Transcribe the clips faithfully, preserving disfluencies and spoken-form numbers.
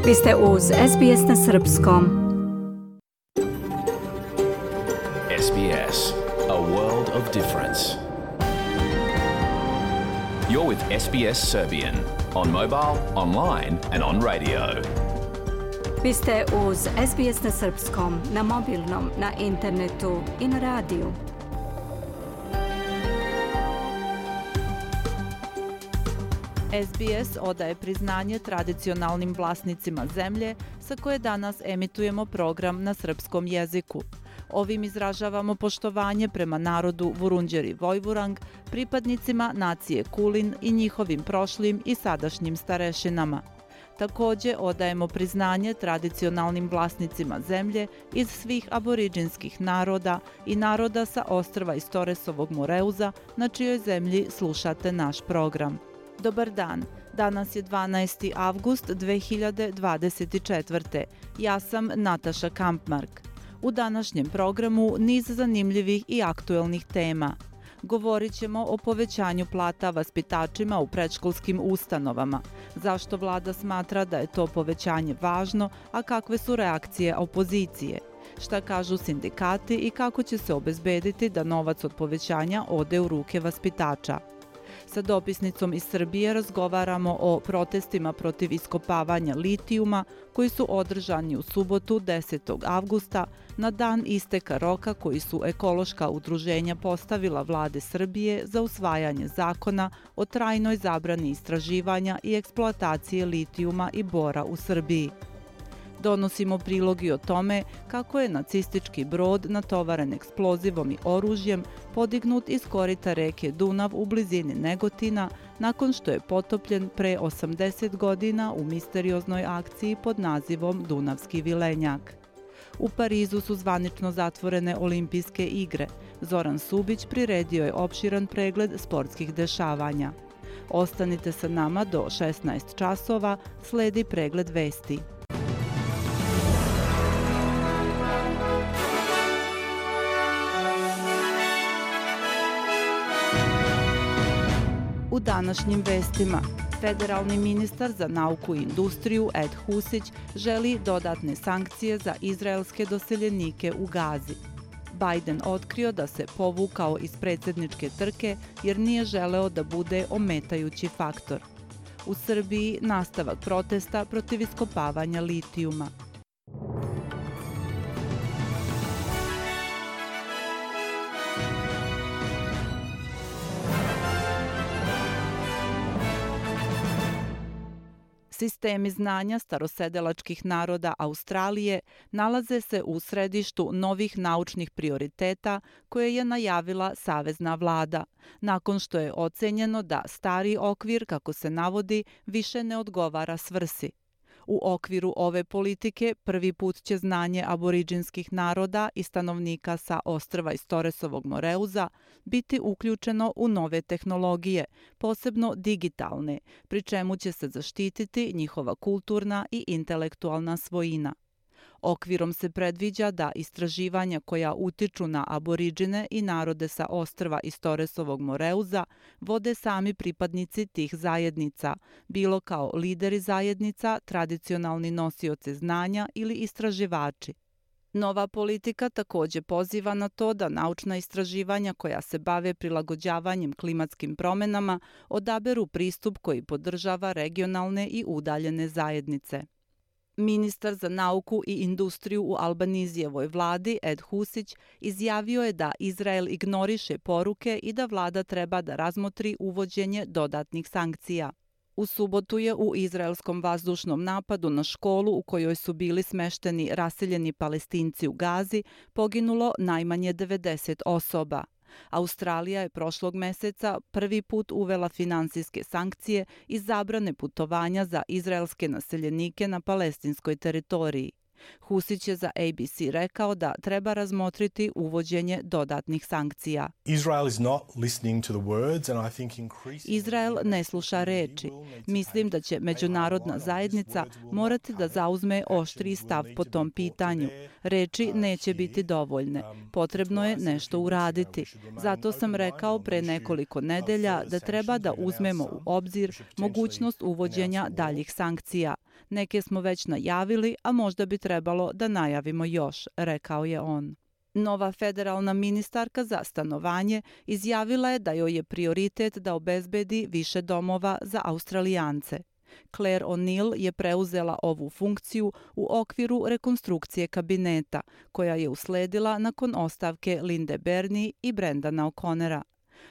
Vi ste uz S B S na Srpskom. S B S, a world of difference. You're with S B S Serbian on mobile, online and on radio. Vi ste uz S B S na Srpskom, na mobilnom, na internetu i na radiju. S B S odaje priznanje tradicionalnim vlasnicima zemlje sa koje danas emitujemo program na srpskom jeziku. Ovim izražavamo poštovanje prema narodu Vurundjeri Vojvurang, pripadnicima nacije Kulin i njihovim prošlim i sadašnjim starešinama. Također odajemo priznanje tradicionalnim vlasnicima zemlje iz svih aboriđinskih naroda i naroda sa ostrva iz Toresovog Moreuza na čijoj zemlji slušate naš program. Dobar dan, danas je dvanaesti avgust dve hiljade dvadeset četvrte. Ja sam Nataša Kampmark. U današnjem programu niz zanimljivih i aktuelnih tema. Govorit ćemo o povećanju plata vaspitačima u predškolskim ustanovama, zašto vlada smatra da je to povećanje važno, a kakve su reakcije opozicije, šta kažu sindikati i kako će se obezbediti da novac od povećanja ode u ruke vaspitača. Sa dopisnicom iz Srbije razgovaramo o protestima protiv iskopavanja litijuma koji su održani u subotu desetog avgusta na dan isteka roka koji su ekološka udruženja postavila vlade Srbije za usvajanje zakona o trajnoj zabrani istraživanja i eksploatacije litijuma i bora u Srbiji. Donosimo prilogi o tome kako je nacistički brod natovaren eksplozivom i oružjem podignut iz korita reke Dunav u blizini Negotina nakon što je potopljen pre osamdeset godina u misterioznoj akciji pod nazivom Dunavski vilenjak. U Parizu su zvanično zatvorene olimpijske igre. Zoran Subić priredio je opširan pregled sportskih dešavanja. Ostanite sa nama do šesnaest časova, sledi pregled vesti. U današnjim vestima, federalni ministar za nauku i industriju Ed Husić želi dodatne sankcije za izraelske doseljenike u Gazi. Biden otkrio da se povukao iz predsjedničke trke jer nije želeo da bude ometajući faktor. U Srbiji nastavak protesta protiv iskopavanja litijuma. Sistemi znanja starosedelačkih naroda Australije nalaze se u središtu novih naučnih prioriteta koje je najavila savezna vlada, nakon što je ocenjeno da stari okvir, kako se navodi, više ne odgovara svrsi. U okviru ove politike prvi put će znanje aboriđinskih naroda i stanovnika sa ostrva iz Toresovog Moreuza biti uključeno u nove tehnologije, posebno digitalne, pri čemu će se zaštititi njihova kulturna i intelektualna svojina. Okvirom se predviđa da istraživanja koja utiču na aboriđine i narode sa ostrva iz Toresovog Moreuza vode sami pripadnici tih zajednica, bilo kao lideri zajednica, tradicionalni nosioci znanja ili istraživači. Nova politika također poziva na to da naučna istraživanja koja se bave prilagođavanjem klimatskim promjenama odaberu pristup koji podržava regionalne i udaljene zajednice. Ministar za nauku i industriju u Albanizijevoj vladi Ed Husić izjavio je da Izrael ignoriše poruke i da vlada treba da razmotri uvođenje dodatnih sankcija. U subotu je u izraelskom vazdušnom napadu na školu u kojoj su bili smešteni raseljeni Palestinci u Gazi poginulo najmanje devedeset osoba. Australija je prošlog meseca prvi put uvela finansijske sankcije i zabrane putovanja za izraelske naseljenike na palestinskoj teritoriji. Husić je za A B C rekao da treba razmotriti uvođenje dodatnih sankcija. Izrael ne sluša reči. Mislim da će međunarodna zajednica morati da zauzme oštriji stav po tom pitanju. Reči neće biti dovoljne. Potrebno je nešto uraditi. Zato sam rekao pre nekoliko nedelja da treba da uzmemo u obzir mogućnost uvođenja daljih sankcija. Neke smo već najavili, a možda bi trebalo da najavimo još, rekao je on. Nova federalna ministarka za stanovanje izjavila je da joj je prioritet da obezbedi više domova za Australijance. Claire O'Neill je preuzela ovu funkciju u okviru rekonstrukcije kabineta, koja je usledila nakon ostavke Linde Bernie i Brendana O'Connora.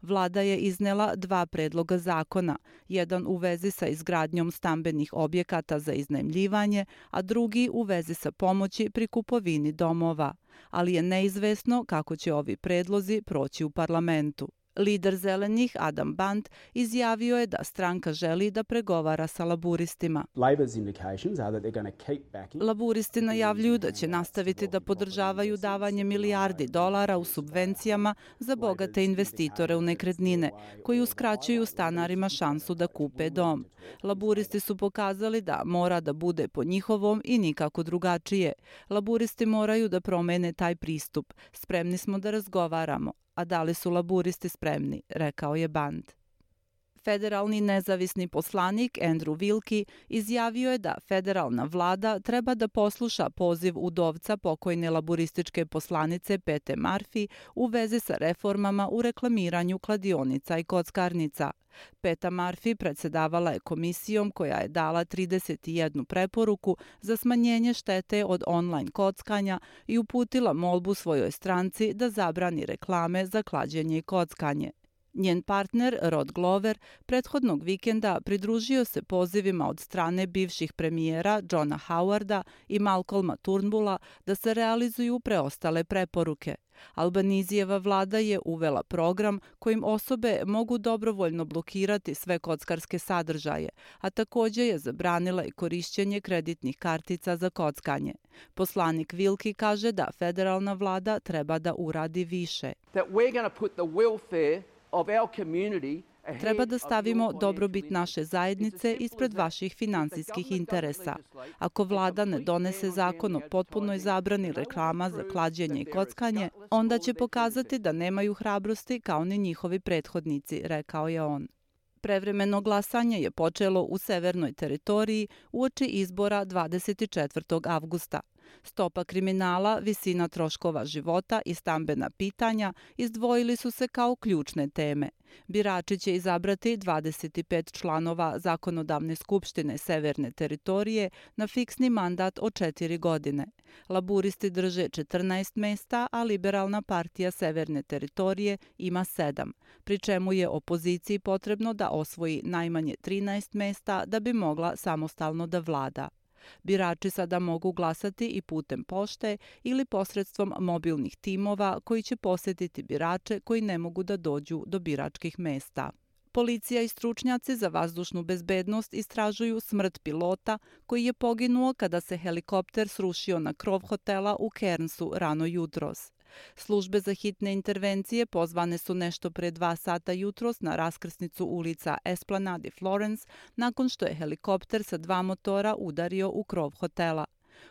Vlada je iznela dva predloga zakona, jedan u vezi sa izgradnjom stambenih objekata za iznajmljivanje, a drugi u vezi sa pomoći pri kupovini domova, ali je neizvesno kako će ovi predlozi proći u parlamentu. Lider Zelenih Adam Band izjavio je da stranka želi da pregovara sa laburistima. Laburisti najavljuju da će nastaviti da podržavaju davanje milijardi dolara u subvencijama za bogate investitore u nekretnine, koji uskraćuju stanarima šansu da kupe dom. Laburisti su pokazali da mora da bude po njihovom i nikako drugačije. Laburisti moraju da promene taj pristup. Spremni smo da razgovaramo. A da li su laburisti spremni, rekao je Band. Federalni nezavisni poslanik Andrew Wilkie izjavio je da federalna vlada treba da posluša poziv udovca pokojne laburističke poslanice Pete Murphy u vezi sa reformama u reklamiranju kladionica i kockarnica. Peta Murphy predsedavala je komisijom koja je dala trideset jednu preporuku za smanjenje štete od online kockanja i uputila molbu svojoj stranci da zabrani reklame za klađenje i kockanje. Njen partner, Rod Glover, prethodnog vikenda pridružio se pozivima od strane bivših premijera Johna Howarda i Malcolma Turnbulla da se realizuju preostale preporuke. Albanizijeva vlada je uvela program kojim osobe mogu dobrovoljno blokirati sve kockarske sadržaje, a takođe je zabranila i korišćenje kreditnih kartica za kockanje. Poslanik Wilkie kaže da federalna vlada treba da uradi više. Treba da stavimo dobrobit naše zajednice ispred vaših finansijskih interesa. Ako vlada ne donese zakon o potpunoj zabrani reklama za klađenje i kockanje, onda će pokazati da nemaju hrabrosti kao ni njihovi prethodnici, rekao je on. Prevremeno glasanje je počelo u Severnoj teritoriji uoči izbora dvadeset četvrtog avgusta. Stopa kriminala, visina troškova života i stambena pitanja izdvojili su se kao ključne teme. Birači će izabrati dvadeset pet članova Zakonodavne skupštine Severne teritorije na fiksni mandat od četiri godine. Laburisti drže četrnaest mesta, a Liberalna partija Severne teritorije ima sedam, pri čemu je opoziciji potrebno da osvoji najmanje trinaest mesta da bi mogla samostalno da vlada. Birači sada mogu glasati i putem pošte ili posredstvom mobilnih timova koji će posetiti birače koji ne mogu da dođu do biračkih mesta. Policija i stručnjaci za vazdušnu bezbednost istražuju smrt pilota koji je poginuo kada se helikopter srušio na krov hotela u Cairnsu rano jutros. Službe za hitne intervencije pozvane su nešto pre dva sata jutros na raskrsnicu ulica Esplanade i Florence nakon što je helikopter sa dva motora udario u krov hotela.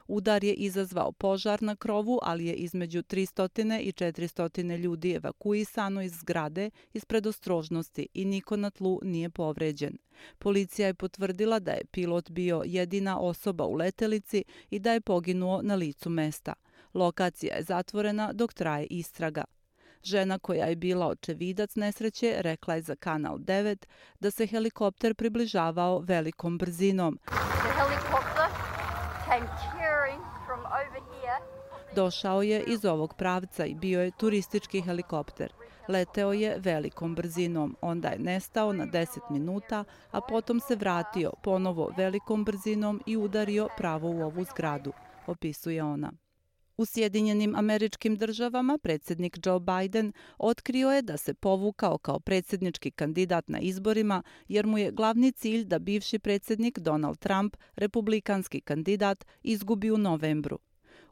Udar je izazvao požar na krovu, ali je između tristo i četiristo ljudi evakuisano iz zgrade iz predostrožnosti i niko na tlu nije povređen. Policija je potvrdila da je pilot bio jedina osoba u letelici i da je poginuo na licu mesta. Lokacija je zatvorena dok traje istraga. Žena koja je bila očevidac nesreće rekla je za Kanal devet da se helikopter približavao velikom brzinom. Došao je iz ovog pravca i bio je turistički helikopter. Leteo je velikom brzinom, onda je nestao na deset minuta, a potom se vratio ponovo velikom brzinom i udario pravo u ovu zgradu, opisuje ona. U Sjedinjenim Američkim Državama predsjednik Joe Biden otkrio je da se povukao kao predsjednički kandidat na izborima jer mu je glavni cilj da bivši predsjednik Donald Trump, republikanski kandidat, izgubi u novembru.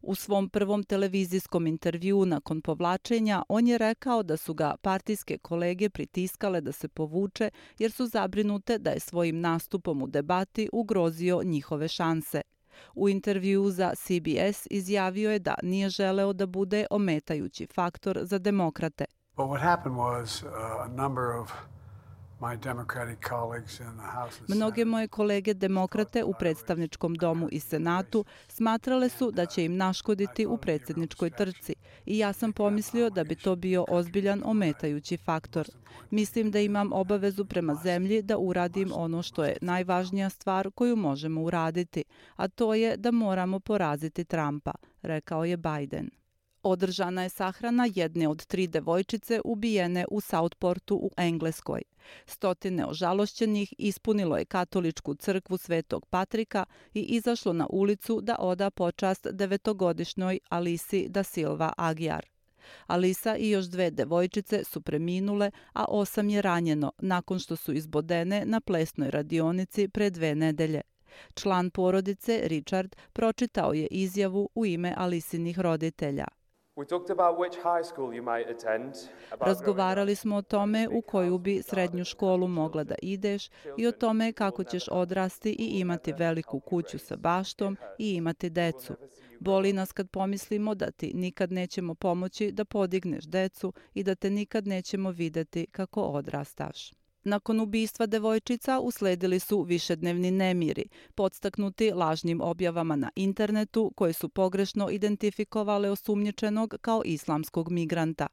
U svom prvom televizijskom intervjuu nakon povlačenja on je rekao da su ga partijske kolege pritiskale da se povuče jer su zabrinute da je svojim nastupom u debati ugrozio njihove šanse. U intervjuu za C B S izjavio je da nije želeo da bude ometajući faktor za demokrate. But what happened was uh, a number of Mnoge moje kolege demokrate u predstavničkom domu i senatu smatrale su da će im naškoditi u predsjedničkoj trci i ja sam pomislio da bi to bio ozbiljan ometajući faktor. Mislim da imam obavezu prema zemlji da uradim ono što je najvažnija stvar koju možemo uraditi, a to je da moramo poraziti Trumpa, rekao je Biden. Održana je sahrana jedne od tri devojčice ubijene u Southportu u Engleskoj. Stotine ožalošćenih ispunilo je katoličku crkvu Svetog Patrika i izašlo na ulicu da oda počast devetogodišnjoj Alisi da Silva Aguiar. Alisa i još dve devojčice su preminule, a osam je ranjeno nakon što su izbodene na plesnoj radionici pre dve nedelje. Član porodice, Richard, pročitao je izjavu u ime Alisinih roditelja. Razgovarali smo o tome u koju bi srednju školu mogla da ideš i o tome kako ćeš odrasti i imati veliku kuću sa baštom i imati decu. Boli nas kad pomislimo da ti nikad nećemo pomoći da podigneš decu i da te nikad nećemo videti kako odrastaš. Nakon ubistva devojčica usledili su višednevni nemiri, podstaknuti lažnim objavama na internetu koje su pogrešno identifikovale osumnjičenog kao islamskog migranta.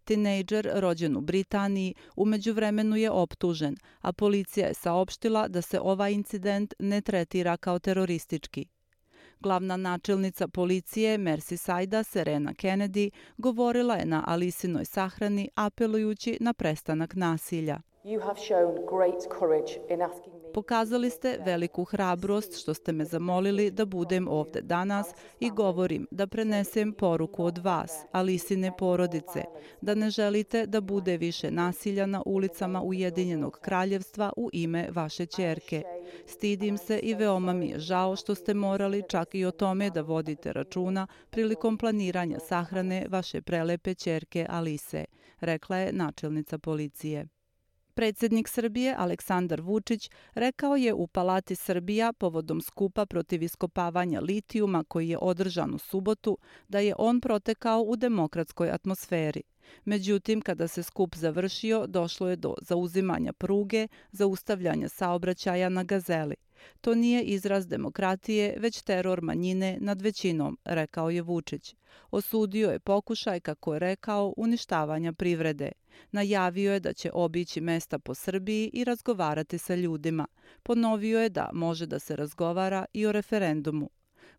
Tinejdžer rođen u Britaniji u međuvremenu je optužen, a policija je saopštila da se ovaj incident ne tretira kao teroristički. Glavna načelnica policije Merseysida Serena Kennedy govorila je na Alisinoj sahrani apelujući na prestanak nasilja. Pokazali ste veliku hrabrost što ste me zamolili da budem ovde danas i govorim da prenesem poruku od vas, Alisine porodice, da ne želite da bude više nasilja na ulicama Ujedinjenog kraljevstva u ime vaše ćerke. Stidim se i veoma mi je žao što ste morali čak i o tome da vodite računa prilikom planiranja sahrane vaše prelepe ćerke Alise, rekla je načelnica policije. Predsjednik Srbije Aleksandar Vučić rekao je u Palati Srbija povodom skupa protiv iskopavanja litijuma koji je održan u subotu da je on protekao u demokratskoj atmosferi. Međutim, kada se skup završio, došlo je do zauzimanja pruge, zaustavljanja saobraćaja na Gazeli. To nije izraz demokratije, već teror manjine nad većinom, rekao je Vučić. Osudio je pokušaj, kako je rekao, uništavanja privrede. Najavio je da će obići mesta po Srbiji i razgovarati sa ljudima. Ponovio je da može da se razgovara i o referendumu.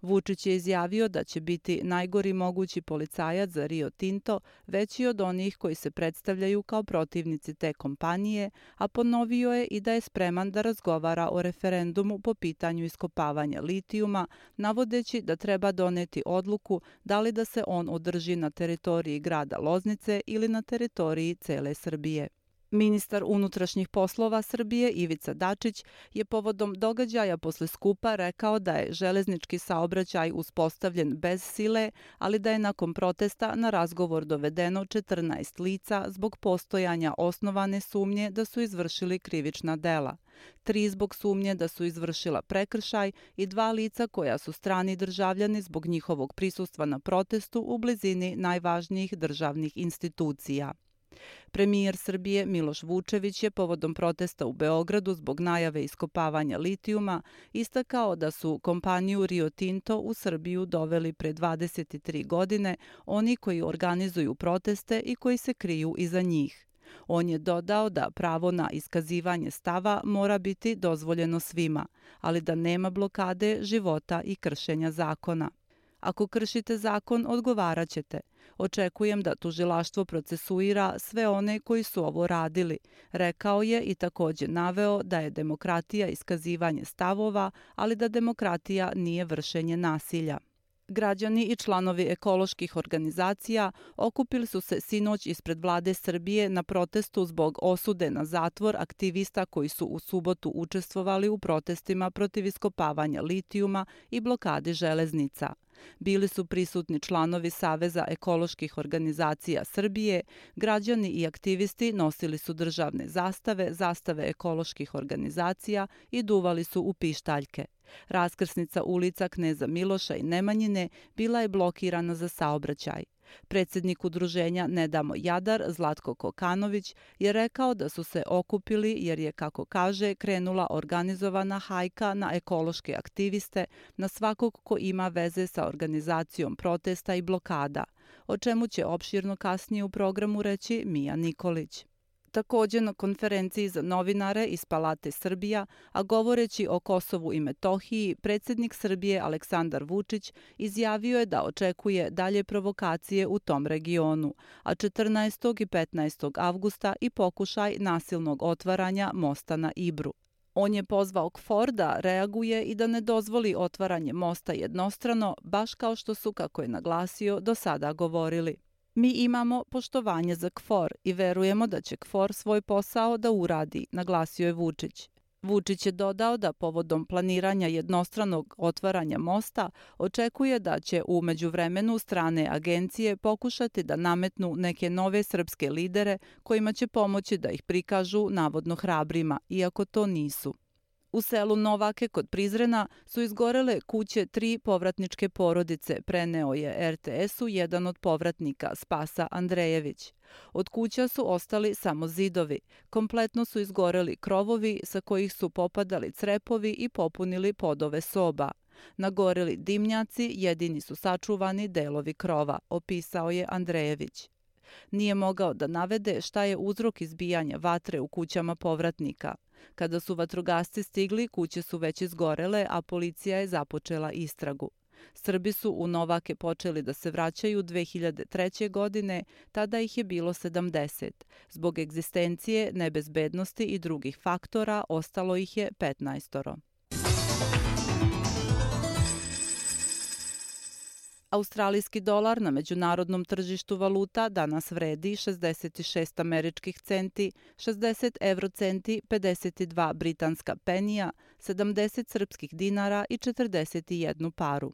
Vučić je izjavio da će biti najgori mogući policajac za Rio Tinto, veći od onih koji se predstavljaju kao protivnici te kompanije, a ponovio je i da je spreman da razgovara o referendumu po pitanju iskopavanja litijuma, navodeći da treba doneti odluku da li da se on održi na teritoriji grada Loznice ili na teritoriji cele Srbije. Ministar unutrašnjih poslova Srbije Ivica Dačić je povodom događaja posle skupa rekao da je železnički saobraćaj uspostavljen bez sile, ali da je nakon protesta na razgovor dovedeno četrnaest lica zbog postojanja osnovane sumnje da su izvršili krivična dela. Tri zbog sumnje da su izvršila prekršaj i dva lica koja su strani državljani zbog njihovog prisustva na protestu u blizini najvažnijih državnih institucija. Premijer Srbije Miloš Vučević je povodom protesta u Beogradu zbog najave iskopavanja litijuma istakao da su kompaniju Rio Tinto u Srbiju doveli pre dvadeset tri godine oni koji organizuju proteste i koji se kriju iza njih. On je dodao da pravo na iskazivanje stava mora biti dozvoljeno svima, ali da nema blokade života i kršenja zakona. Ako kršite zakon, odgovarat ćete. Očekujem da tužilaštvo procesuira sve one koji su ovo radili, rekao je i također naveo da je demokratija iskazivanje stavova, ali da demokratija nije vršenje nasilja. Građani i članovi ekoloških organizacija okupili su se sinoć ispred vlade Srbije na protestu zbog osude na zatvor aktivista koji su u subotu učestvovali u protestima protiv iskopavanja litijuma i blokadi železnica. Bili su prisutni članovi Saveza ekoloških organizacija Srbije, građani i aktivisti nosili su državne zastave, zastave ekoloških organizacija i duvali su u pištaljke. Raskrsnica ulica Kneza Miloša i Nemanjine bila je blokirana za saobraćaj. Predsjednik udruženja Ne damo Jadar, Zlatko Kokanović, je rekao da su se okupili jer je, kako kaže, krenula organizovana hajka na ekološke aktiviste, na svakog ko ima veze sa organizacijom protesta i blokada, o čemu će opširno kasnije u programu reći Mija Nikolić. Također na konferenciji za novinare iz Palate Srbija, a govoreći o Kosovu i Metohiji, predsjednik Srbije Aleksandar Vučić izjavio je da očekuje dalje provokacije u tom regionu, a četrnaestog i petnaestog avgusta i pokušaj nasilnog otvaranja mosta na Ibru. On je pozvao KFOR da reaguje i da ne dozvoli otvaranje mosta jednostrano, baš kao što su, kako je naglasio, do sada govorili. Mi imamo poštovanje za KFOR i verujemo da će KFOR svoj posao da uradi, naglasio je Vučić. Vučić je dodao da povodom planiranja jednostranog otvaranja mosta očekuje da će u međuvremenu strane agencije pokušati da nametnu neke nove srpske lidere kojima će pomoći da ih prikažu navodno hrabrima, iako to nisu. U selu Novake kod Prizrena su izgorele kuće tri povratničke porodice, preneo je er te esu jedan od povratnika, Spasa Andrejević. Od kuća su ostali samo zidovi. Kompletno su izgoreli krovovi sa kojih su popadali crepovi i popunili podove soba. Nagoreli dimnjaci, jedini su sačuvani delovi krova, opisao je Andrejević. Nije mogao da navede šta je uzrok izbijanja vatre u kućama povratnika. Kada su vatrogasci stigli, kuće su već izgorele, a policija je započela istragu. Srbi su u Novake počeli da se vraćaju dve hiljade treće. godine, tada ih je bilo sedamdeset. Zbog egzistencije, nebezbednosti i drugih faktora ostalo ih je petnaestoro. Australijski dolar na međunarodnom tržištu valuta danas vredi šezdeset šest američkih centi, šezdeset evrocenti, pedeset dva britanska penija, sedamdeset srpskih dinara i četrdeset jedan paru.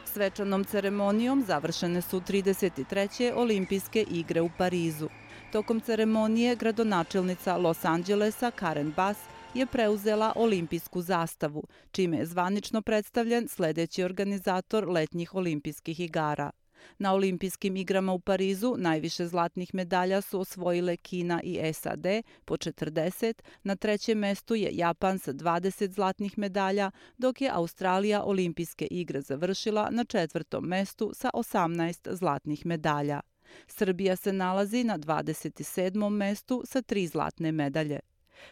Svečanom ceremonijom završene su trideset treće olimpijske igre u Parizu. Tokom ceremonije gradonačelnica Los Angelesa Karen Bass je preuzela olimpijsku zastavu, čime je zvanično predstavljen sljedeći organizator letnjih olimpijskih igara. Na olimpijskim igrama u Parizu najviše zlatnih medalja su osvojile Kina i es a de po četrdeset, na trećem mestu je Japan sa dvadeset zlatnih medalja, dok je Australija olimpijske igre završila na četvrtom mestu sa osamnaest zlatnih medalja. Srbija se nalazi na dvadeset sedmom mestu sa tri zlatne medalje.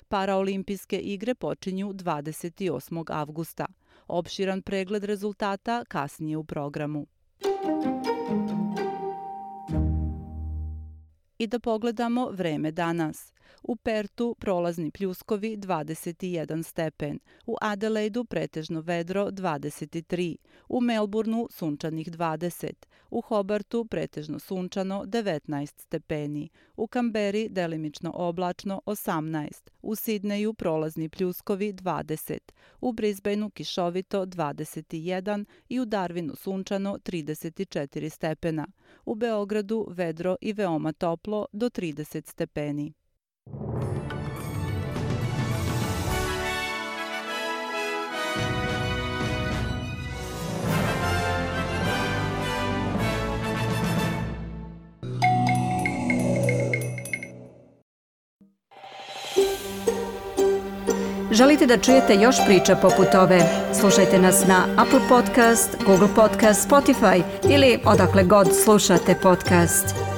Paraolimpijske igre počinju dvadeset osmog avgusta. Opširan pregled rezultata kasnije u programu. I da pogledamo vreme danas. U Pertu prolazni pljuskovi dvadeset jedan stepen, u Adelaidu pretežno vedro dvadeset tri, u Melbourneu sunčanih dvadeset, u Hobartu pretežno sunčano devetnaest stepeni, u Kamberi delimično oblačno osamnaest, u Sidneju prolazni pljuskovi dvadeset, u Brisbaneu kišovito dvadeset jedan i u Darwinu sunčano trideset četiri stepena, u Beogradu vedro i veoma toplo do trideset stepeni. Želite da čujete još priča poput ove? Slušajte nas na Apple Podcast, Google Podcast, Spotify ili odakle god slušate podcast.